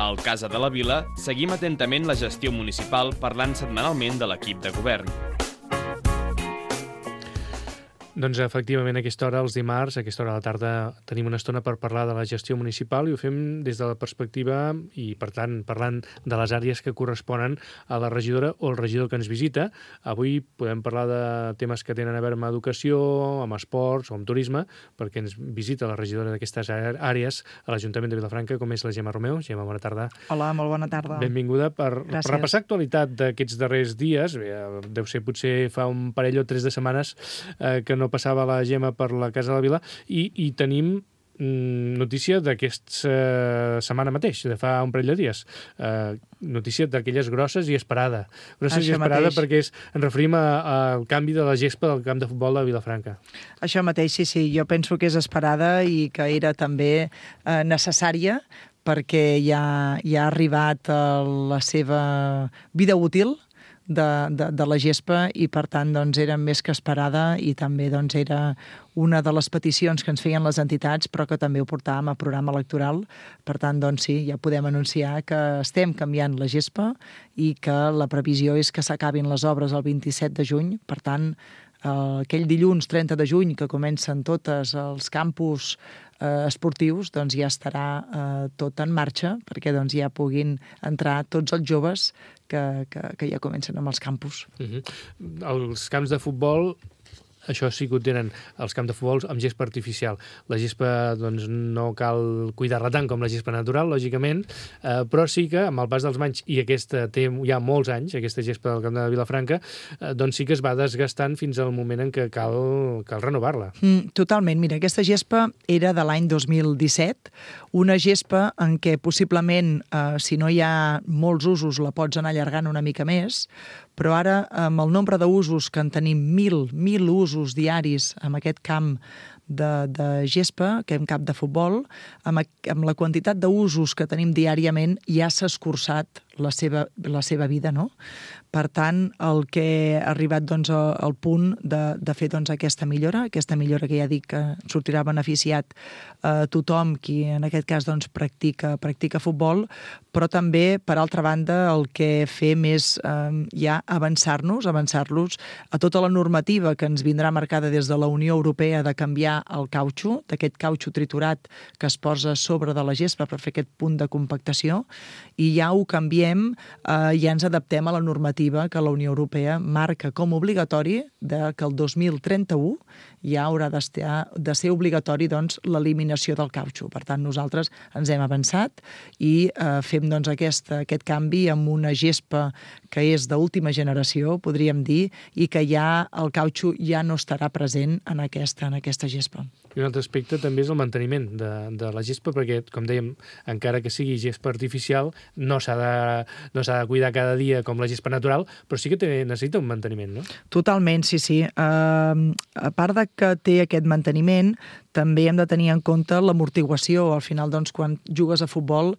Al Casa de la Vila seguim atentament la gestió municipal parlant setmanalment de l'equip de govern. Doncs efectivament a aquesta hora, els dimarts, a aquesta hora de la tarda, tenim una estona per parlar de la gestió municipal i ho fem des de la perspectiva i, per tant, parlant de les àrees que corresponen a la regidora o el regidor que ens visita. Avui podem parlar de temes que tenen a veure amb educació, amb esports o amb turisme, perquè ens visita la regidora d'aquestes àrees a l'Ajuntament de Vilafranca, com és la Gemma Romeu. Gemma, bona tarda. Hola, molt bona tarda. Benvinguda per repassar actualitat d'aquests darrers dies. Deu ser potser fa un parell o 3 de setmanes que no passava la Gemma per la Casa de la Vila i tenim notícia d'aquesta setmana mateix, de fa un parell de dies. Notícia d'aquelles grosses i esperada. Grosses i esperada perquè ens referim al canvi de la gespa del camp de futbol de Vilafranca. Això mateix, sí. Jo penso que és esperada i que era també necessària perquè ja ha arribat a la seva vida útil de la gespa i, per tant, doncs, era més que esperada i també doncs, era una de les peticions que ens feien les entitats, però que també ho portàvem a programa electoral. Per tant, doncs sí, ja podem anunciar que estem canviant la gespa i que la previsió és que s'acabin les obres el 27 de juny. Per tant, aquell dilluns 30 de juny que comencen tots els campus esportius, doncs ja estarà tot en marxa perquè doncs, ja puguin entrar tots els joves que ja comencen amb els campus. Els camps de futbol, això sí que ho tenen, els camps de futbol amb gespa artificial. La gespa doncs, no cal cuidar-la tant com la gespa natural, lògicament, però sí que amb el pas dels anys, i aquesta té ja molts anys, aquesta gespa del camp de Vilafranca, doncs sí que es va desgastant fins al moment en què cal renovar-la. Totalment. Mira, aquesta gespa era de l'any 2017, una gespa en què possiblement, si no hi ha molts usos, la pots anar allargant una mica més, però ara, amb el nombre d'usos que en tenim, 1.000 usos diaris amb aquest camp de gespa, que hem camp de futbol, amb la quantitat d'usos que tenim diàriament, ja s'ha escurçat la seva vida, no? Per tant, el que ha arribat doncs, al punt de fer doncs, aquesta millora que ja dic que sortirà beneficiat a tothom qui en aquest cas doncs, practica futbol, però també, per altra banda, el que fem és ja avançar-los a tota la normativa que ens vindrà marcada des de la Unió Europea de canviar el cautxo, d'aquest cautxo triturat que es posa sobre de la gespa per fer aquest punt de compactació, i ja ho canviem, ja ens adaptem a la normativa que la Unió Europea marca com obligatori que el 2031 ja haurà de ser obligatori doncs, l'eliminació del cautxo. Per tant, nosaltres ens hem avançat i fem doncs, aquest canvi amb una gespa que és d'última generació, podríem dir, i que ja el cautxo ja no estarà present en aquesta gespa. I un altre aspecte també és el manteniment de la gespa, perquè, com dèiem, encara que sigui gespa artificial, no s'ha de cuidar cada dia com la gespa natural, però sí que necessita un manteniment, no? Totalment, sí. A part de que té aquest manteniment, també hem de tenir en compte l'amortiguació. Al final, doncs, quan jugues a futbol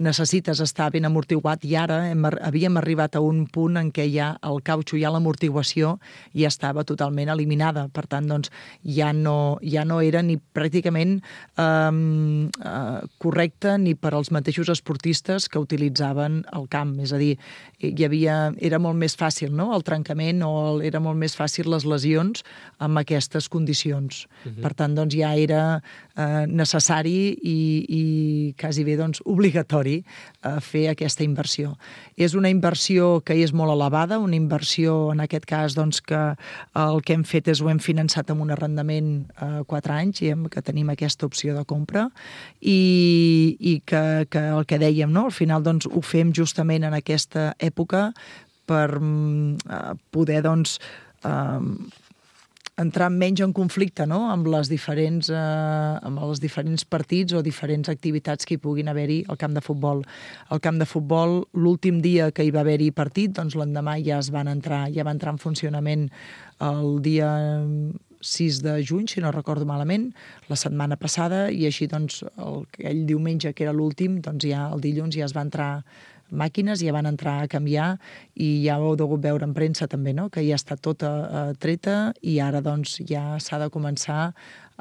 necessites estar ben amortiguat i ara havíem arribat a un punt en què ja el cautxo, ja l'amortiguació ja estava totalment eliminada. Per tant, doncs, ja no era ni pràcticament correcte ni per als mateixos esportistes que utilitzaven el camp. És a dir, era molt més fàcil, no?, el trencament o era molt més fàcil les lesions amb aquestes condicions. Per tant, doncs, ja era necessari i quasi bé doncs, obligatori fer aquesta inversió. És una inversió que és molt elevada, una inversió, en aquest cas, doncs, que el que hem fet és ho hem finançat amb un arrendament 4 anys i que tenim aquesta opció de compra i que el que dèiem, no? Al final doncs, ho fem justament en aquesta època per poder doncs, entrar menys en conflicte, no?, amb els diferents partits o diferents activitats que hi puguin haver-hi al camp de futbol. Al camp de futbol, l'últim dia que hi va haver-hi partit, doncs l'endemà ja va entrar en funcionament el dia 6 de juny, si no recordo malament, la setmana passada, i així doncs aquell diumenge que era l'últim, doncs ja el dilluns ja es va entrar màquines ja van entrar a canviar i ja ho heu degut veure en premsa també, no? Que ja està tota treta i ara doncs ja s'ha de començar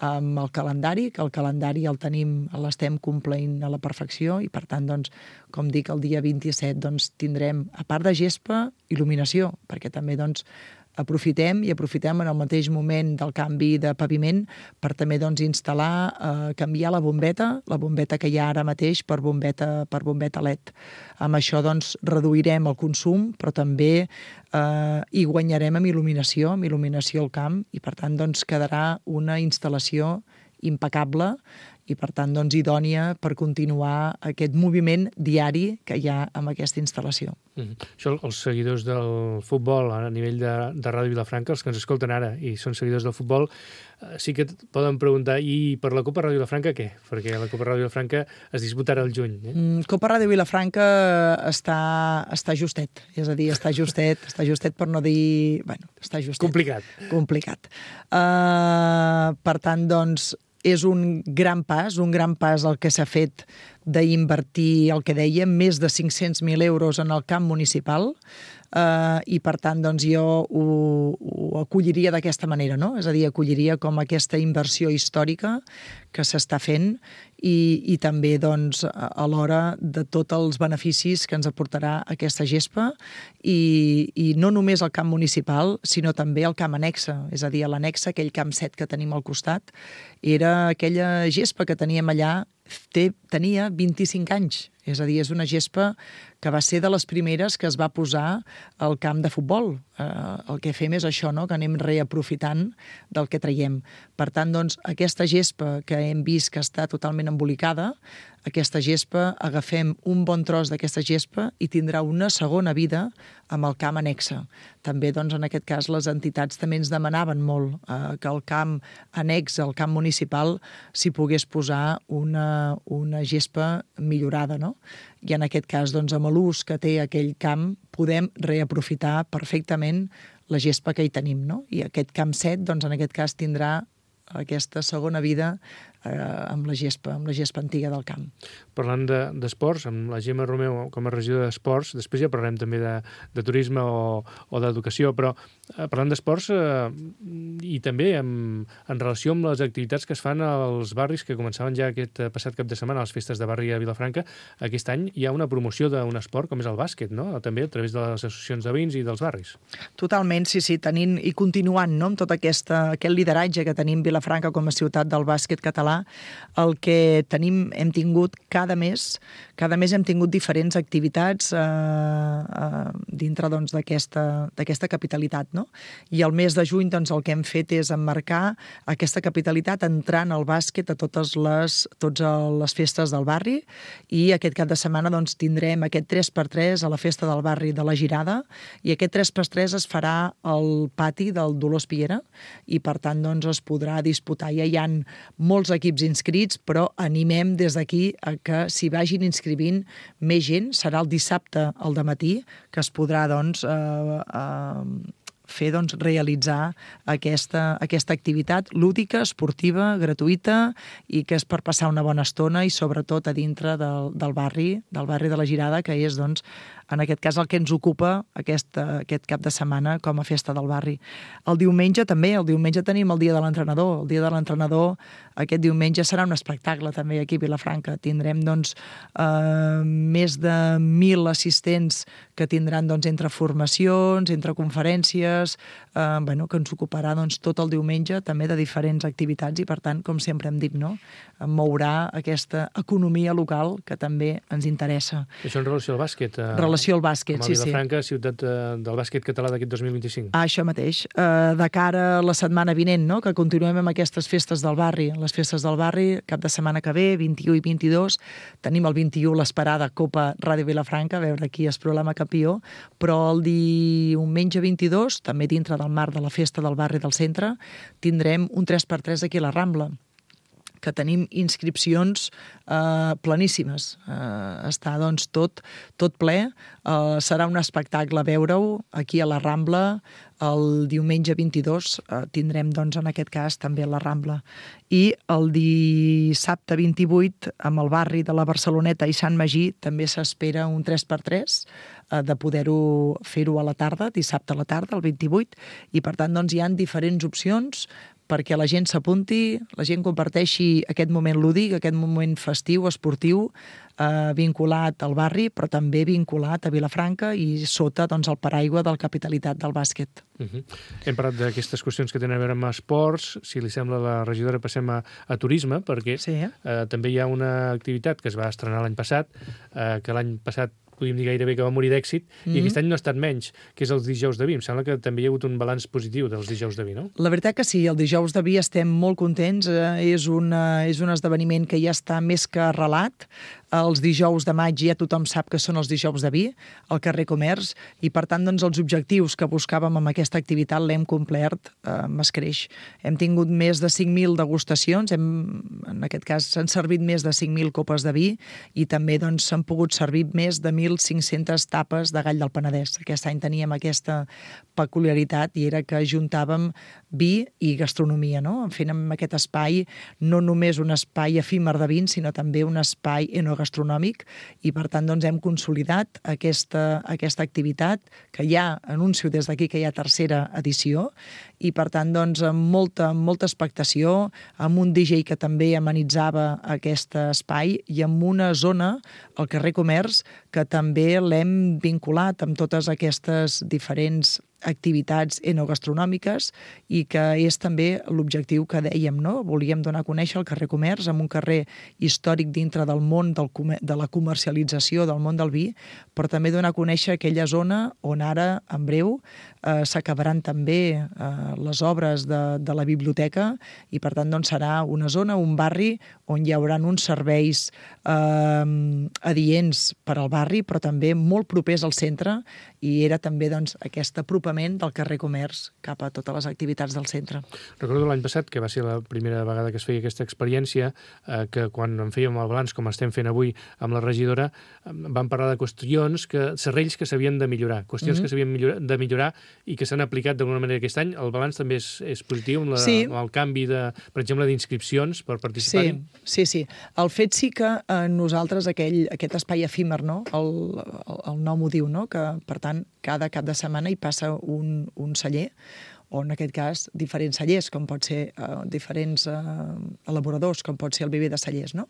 amb el calendari, que el calendari l'estem complint a la perfecció i per tant, doncs, com dic, el dia 27 doncs, tindrem, a part de gespa, il·luminació, perquè també doncs, aprofitem en el mateix moment del canvi de paviment per també doncs, instal·lar, canviar la bombeta que hi ha ara mateix per bombeta LED. Amb això doncs, reduirem el consum, però també hi guanyarem amb il·luminació al camp i per tant doncs, quedarà una instal·lació impecable i per tant doncs, idònia per continuar aquest moviment diari que hi ha amb aquesta instal·lació. Això, els seguidors del futbol a nivell de Ràdio Vilafranca, els que ens escolten ara i són seguidors del futbol, sí que poden preguntar, i per la Copa Ràdio Vilafranca què? Perquè la Copa Ràdio Vilafranca es disputarà al juny. Copa Ràdio Vilafranca està justet, és a dir, està justet per no dir... Bueno, està justet. Complicat. Per tant, doncs, és un gran pas el que s'ha fet d'invertir, el que dèiem, més de 500.000 euros en el camp municipal i, per tant, doncs, jo ho acolliria d'aquesta manera, no? És a dir, acolliria com aquesta inversió històrica que s'està fent i també, doncs, alhora de tots els beneficis que ens aportarà aquesta gespa i no només el camp municipal, sinó també el camp annexa. És a dir, a l'annexa, aquell camp 7 que tenim al costat, era aquella gespa que teníem allà, tenia 25 anys. És a dir, és una gespa que va ser de les primeres que es va posar al camp de futbol. El que fem és això, no? Que anem reaprofitant del que traiem. Per tant, doncs, aquesta gespa que hem vist que està totalment embolicada, aquesta gespa, agafem un bon tros d'aquesta gespa i tindrà una segona vida amb el camp annexa. També, doncs, en aquest cas, les entitats també ens demanaven molt que el camp annex al camp municipal s'hi pogués posar una gespa millorada, no? I en aquest cas, doncs, amb l'ús que té aquell camp, podem reaprofitar perfectament la gespa que hi tenim, no? I aquest camp 7, doncs, en aquest cas, tindrà aquesta segona vida amb la gespa antiga del camp. Parlant d'esports, amb la Gemma Romeu com a regidora d'esports, després ja parlarem també de turisme o d'educació, però parlant d'esports i també en relació amb les activitats que es fan als barris que començaven ja aquest passat cap de setmana, a les festes de barri a Vilafranca, aquest any hi ha una promoció d'un esport com és el bàsquet, no? També a través de les associacions de veïns i dels barris. Totalment, sí, tenint i continuant, no? Amb tot aquest lideratge que tenim Vilafranca com a ciutat del bàsquet català, el que hem tingut cada mes hem tingut diferents activitats dintre doncs, d'aquesta capitalitat, no? I el mes de juny doncs, el que hem fet és emmarcar aquesta capitalitat entrant al bàsquet a totes les festes del barri i aquest cap de setmana doncs, tindrem aquest 3x3 a la festa del barri de la Girada i aquest 3x3 es farà al pati del Dolors Piera i per tant doncs, es podrà disputar. Ja hi ha molts equips inscrits, però animem des d'aquí a que s'hi vagin inscrivint més gent. Serà el dissabte al dematí que es podrà doncs, realitzar aquesta activitat lúdica, esportiva, gratuïta i que és per passar una bona estona i sobretot a dintre del barri de la Girada, que és doncs, en aquest cas el que ens ocupa aquest cap de setmana com a festa del barri. El diumenge també, tenim el dia de l'entrenador. El dia de l'entrenador aquest diumenge serà un espectacle també aquí a Vilafranca. Tindrem doncs, més de 1.000 assistents que tindran doncs, entre formacions, entre conferències, que ens ocuparà doncs, tot el diumenge també de diferents activitats i per tant, com sempre hem dit, no? Mourà aquesta economia local que també ens interessa. Això en relació al bàsquet? Relació al bàsquet, sí. Com a Vilafranca, ciutat del bàsquet català d'aquest 2025. Això mateix. De cara a la setmana vinent, no? Que continuem amb aquestes festes del barri. Les festes del barri, cap de setmana que ve, 21 i 22. Tenim el 21 l'esperada Copa Ràdio Vilafranca, a veure qui es proclama campió, però el diumenge 22, també dintre del marc de la festa del barri del centre, tindrem un 3x3 aquí a la Rambla, que tenim inscripcions planíssimes. Està doncs, tot ple. Serà un espectacle veure-ho aquí a la Rambla El diumenge 22 tindrem, doncs, en aquest cas, també la Rambla. I el dissabte 28, amb el barri de la Barceloneta i Sant Magí, també s'espera un 3x3 de poder-ho fer-ho a la tarda, dissabte a la tarda, el 28, i per tant, doncs, hi ha diferents opcions perquè la gent s'apunti, la gent comparteixi aquest moment lúdic, aquest moment festiu, esportiu, vinculat al barri, però també vinculat a Vilafranca i sota, doncs, el paraigua del Capitalitat del bàsquet. Hem parlat d'aquestes qüestions que tenen a veure amb esports. Si li sembla, la regidora, passem a turisme, perquè també hi ha una activitat que es va estrenar l'any passat, que l'any passat podríem dir gairebé que va morir d'èxit, i aquest any no ha estat menys, que és els dijous de vi. Em sembla que també hi ha hagut un balanç positiu dels dijous de vi, no? La veritat que sí, el dijous de vi estem molt contents. És un esdeveniment que ja està més que arrelat. Els dijous de maig ja tothom sap que són els dijous de vi, al carrer Comerç, i per tant, doncs, els objectius que buscàvem amb aquesta activitat l'hem complert amb escreix. Hem tingut més de 5.000 degustacions, en aquest cas s'han servit més de 5.000 copes de vi i també, doncs, s'han pogut servir més de 1.500 tapes de gall del Penedès. Aquest any teníem aquesta peculiaritat i era que juntàvem vi i gastronomia, no? Fent amb aquest espai no només un espai efímer de vins, sinó també un espai enogastronòmic, i per tant, doncs, hem consolidat aquesta activitat, que ja anuncio des d'aquí que hi ha tercera edició, i per tant, doncs, amb molta expectació, amb un DJ que també amenitzava aquest espai i amb una zona, al carrer Comerç, que també l'hem vinculat amb totes aquestes diferents activitats enogastronòmiques i que és també l'objectiu que dèiem, no? Volíem donar a conèixer el carrer Comerç amb un carrer històric dintre del món de la comercialització del món del vi, però també donar a conèixer aquella zona on ara, en breu, s'acabaran també les obres de la biblioteca i, per tant, doncs, serà una zona, un barri on hi haurà uns serveis adients per al barri, però també molt propers al centre, i era també, doncs, aquest apropament del carrer Comerç cap a totes les activitats del centre. Recordo l'any passat, que va ser la primera vegada que es feia aquesta experiència, que quan en fèiem el balanç, com estem fent avui amb la regidora, vam parlar de qüestions, serrells que s'havien de millorar, qüestions que s'havien de millorar i que s'han aplicat d'alguna manera aquest any. El balanç també és positiu amb el canvi, per exemple, d'inscripcions per participar-hi? Sí. El fet sí que nosaltres, aquest espai efímer, no? El nom ho diu, no? Que, per tant, cada cap de setmana hi passa un celler, o en aquest cas diferents cellers, com pot ser diferents elaboradors, com pot ser el Viver de Cellers, no?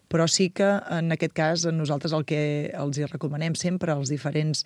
Però sí que en aquest cas nosaltres el que els hi recomanem sempre als diferents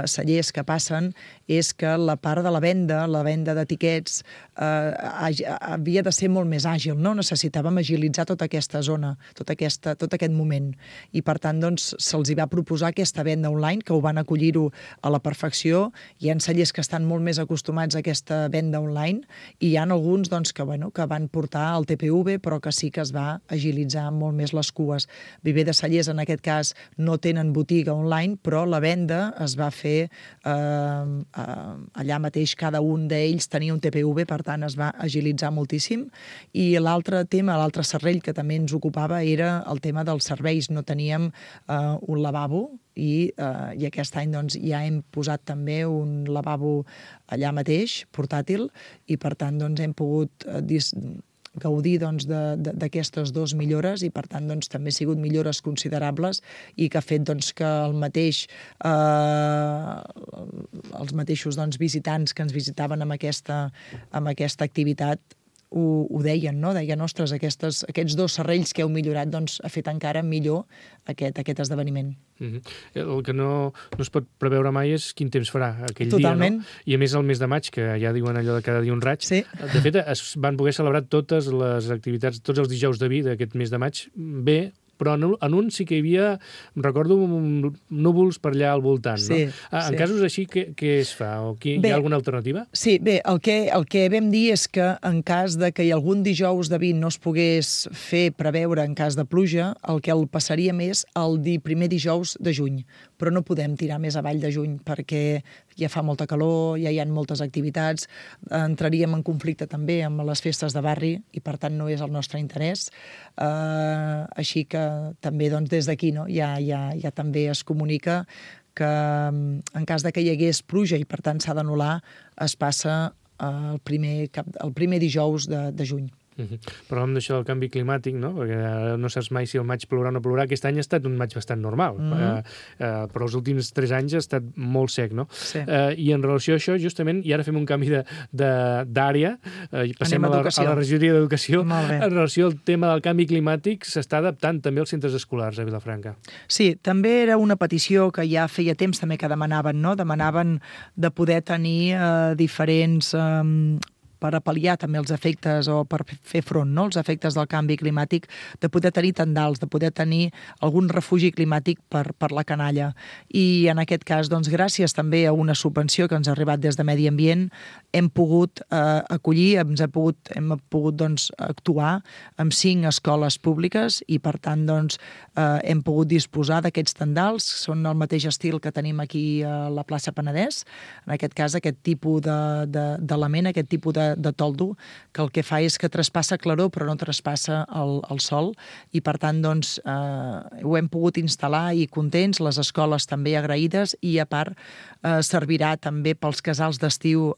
cellers que passen és que la part de la venda d'etiquets havia de ser molt més àgil, no? Necessitàvem agilitzar tota aquesta zona, tot aquest moment. I per tant, doncs, se'ls hi va proposar aquesta venda online, que ho van acollir-ho a la perfecció. Hi ha cellers que estan molt més acostumats a aquesta venda online, i hi ha alguns, doncs, que van portar el TPV, però que sí que es va agilitzar molt més les cues. Viver de Cellers, en aquest cas, no tenen botiga online, però la venda es va fer allà mateix. Cada un d'ells tenia un TPV, per tant, es va agilitzar moltíssim. I l'altre tema, l'altre serrell que també ens ocupava era el tema dels serveis. No teníem un lavabo, i aquest any, doncs, ja hem posat també un lavabo allà mateix, portàtil, i per tant, doncs, hem pogut gaudir, doncs, d'aquestes dues millores, i per tant, doncs, també han sigut millores considerables i que ha fet, doncs, que els mateixos, doncs, visitants que ens visitaven amb aquesta activitat ho deien, no? Deien, ostres, aquests dos serrells que heu millorat, doncs, ha fet encara millor aquest esdeveniment. El que no es pot preveure mai és quin temps farà aquell Totalment. dia, no? I a més el mes de maig, que ja diuen allò de cada dia un raig, sí. De fet es van poder celebrar totes les activitats, tots els dijous de vi d'aquest mes de maig bé, però en un sí que hi havia, recordo, núvols per allà al voltant, no? Sí. En casos així, què es fa? Hi ha alguna alternativa? Sí, bé, el que vam dir és que en cas de que algun dijous de vi no es pogués preveure en cas de pluja, el que el passaríem és el primer dijous de juny, però no podem tirar més avall de juny perquè ja fa molta calor, ja hi ha moltes activitats, entraríem en conflicte també amb les festes de barri i per tant no és el nostre interès. Així que també, doncs, des d'aquí, no, ja també es comunica que en cas de que hi hagués pluja i per tant s'ha d'anul·lar, es passa el primer dijous de juny. Parlàvem d'això del canvi climàtic, no? Perquè no saps mai si el maig plourà o no plourà. Aquest any ha estat un maig bastant normal, però els últims 3 anys ha estat molt sec, no? Sí. I en relació a això, justament, i ara fem un canvi d'àrea, passem a la regidoria d'Educació, en relació al tema del canvi climàtic, s'està adaptant també als centres escolars a Vilafranca. Sí, també era una petició que ja feia temps també que demanaven, no? Demanaven de poder tenir diferents per apal·liar també els efectes o per fer front, no?, els efectes del canvi climàtic, de poder tenir tendals, de poder tenir algun refugi climàtic per la canalla. I en aquest cas, doncs, gràcies també a una subvenció que ens ha arribat des de Medi Ambient, hem pogut acollir, hem pogut doncs, actuar amb 5 escoles públiques i, per tant, doncs, hem pogut disposar d'aquests tendals, són el mateix estil que tenim aquí a la plaça Penedès, en aquest cas aquest tipus d'element, aquest tipus de toldo, que el que fa és que traspassa claror però no traspassa el sol i per tant doncs ho hem pogut instal·lar i contents, les escoles també agraïdes i a part servirà també pels casals d'estiu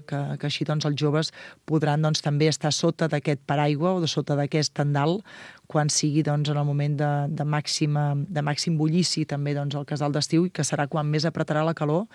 que així doncs els joves podran doncs també estar sota d'aquest paraigua o sota d'aquest tendal quan sigui doncs, en el moment de màxim bullici també doncs, el casal d'estiu i que serà quan més apretarà la calor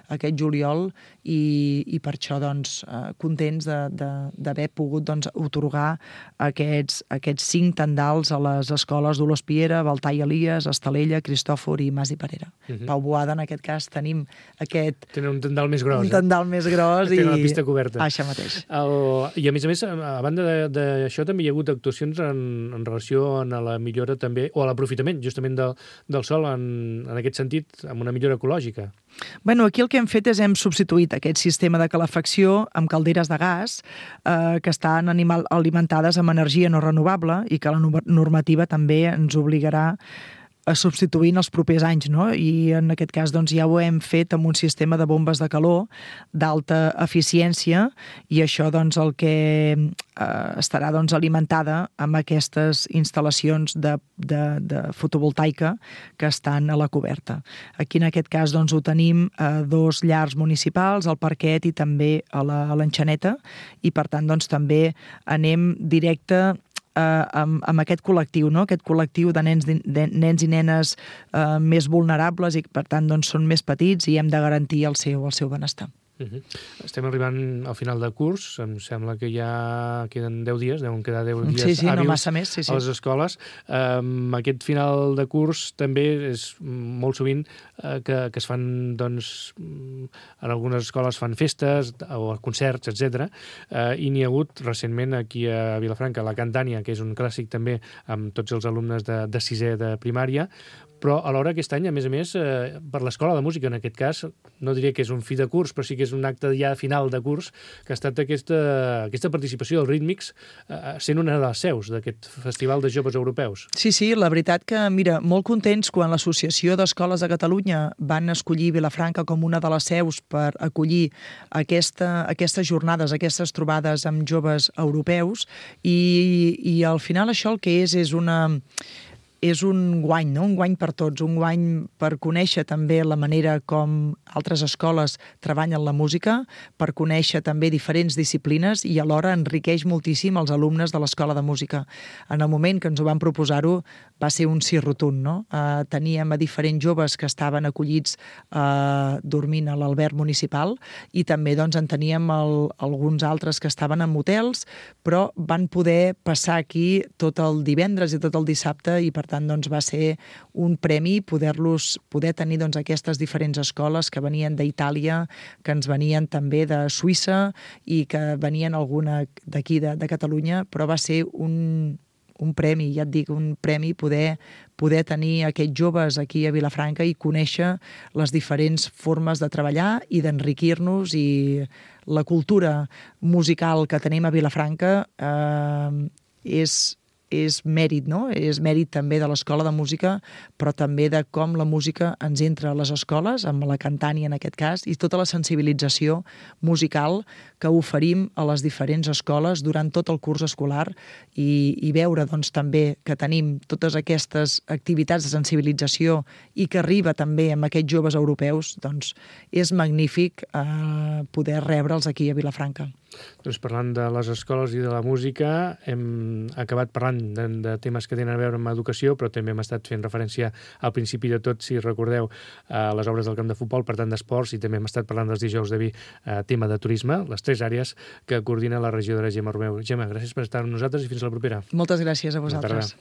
aquest juliol i per això doncs, contents d'haver pogut doncs, otorgar aquests 5 tendals a les escoles d'Olors Piera, Baltar i Elies, Estalella, Cristòfor i Mas i Parera. Pau Boada, en aquest cas, tenim aquest... Tenen un tendal més gros. Un tendal més gros i... Tenen la pista coberta. Això mateix. I a més, a banda d'això, també hi ha hagut actuacions en relació a la millora també, o a l'aprofitament justament del sol en aquest sentit, amb una millora ecològica. Bueno, aquí el que hem fet és hem substituït aquest sistema de calefacció amb calderes de gas que estan alimentades amb energia no renovable i que la normativa també ens obligarà a substituir en els propers anys, no? I en aquest cas doncs, ja ho hem fet amb un sistema de bombes de calor d'alta eficiència i això doncs, el que estarà doncs, alimentada amb aquestes instal·lacions de fotovoltaica que estan a la coberta. Aquí en aquest cas doncs, ho tenim a 2 llars municipals, al Parquet i també a l'Enxaneta i per tant doncs, també anem directe amb aquest col·lectiu, no? Aquest col·lectiu de nens i nenes més vulnerables i per tant doncs, són més petits i hem de garantir el seu benestar. Estem arribant al final de curs, em sembla que ja queden 10 dies, deuen quedar 10 dies hàbils no massa més, a les escoles. Aquest final de curs també és molt sovint que es fan, doncs, en algunes escoles fan festes o concerts, etc. I n'hi ha hagut recentment aquí a Vilafranca la Cantània, que és un clàssic també amb tots els alumnes de 6è de primària, però alhora aquest any, a més, per l'Escola de Música, en aquest cas, no diria que és un fi de curs, però sí que és un acte ja final de curs, que ha estat aquesta participació dels rítmics sent una de les seus d'aquest Festival de Joves Europeus. Sí, la veritat que, mira, molt contents quan l'Associació d'Escoles de Catalunya van escollir Vilafranca com una de les seus per acollir aquestes jornades, aquestes trobades amb joves europeus i al final això el que és un guany, no? Un guany per tots, un guany per conèixer també la manera com altres escoles treballen la música, per conèixer també diferents disciplines i alhora enriqueix moltíssim els alumnes de l'Escola de Música. En el moment que ens ho van proposar-ho va ser un sí rotund, no? Teníem a diferents joves que estaven acollits dormint a l'alberg municipal i també doncs, en teníem alguns altres que estaven en hotels, però van poder passar aquí tot el divendres i tot el dissabte i per tant doncs, va ser un premi poder tenir doncs, aquestes diferents escoles que venien d'Itàlia, que ens venien també de Suïssa i que venien alguna d'aquí de Catalunya, però va ser un premi, ja et dic, un premi poder tenir aquests joves aquí a Vilafranca i conèixer les diferents formes de treballar i d'enriquir-nos i la cultura musical que tenim a Vilafranca és és mèrit, no? És mèrit també de l'Escola de Música, però també de com la música ens entra a les escoles, amb la Cantània en aquest cas, i tota la sensibilització musical que oferim a les diferents escoles durant tot el curs escolar i veure doncs, també que tenim totes aquestes activitats de sensibilització i que arriba també amb aquests joves europeus, doncs és magnífic poder rebre'ls aquí a Vilafranca. Doncs parlant de les escoles i de la música, hem acabat parlant de temes que tenen a veure amb educació, però també hem estat fent referència al principi de tot, si recordeu, a les obres del camp de futbol, per tant d'esports, i també hem estat parlant dels dijous de vi, tema de turisme, les 3 àrees que coordina la regidora Gemma Romeu. Gemma, gràcies per estar amb nosaltres i fins la propera. Moltes gràcies a vosaltres.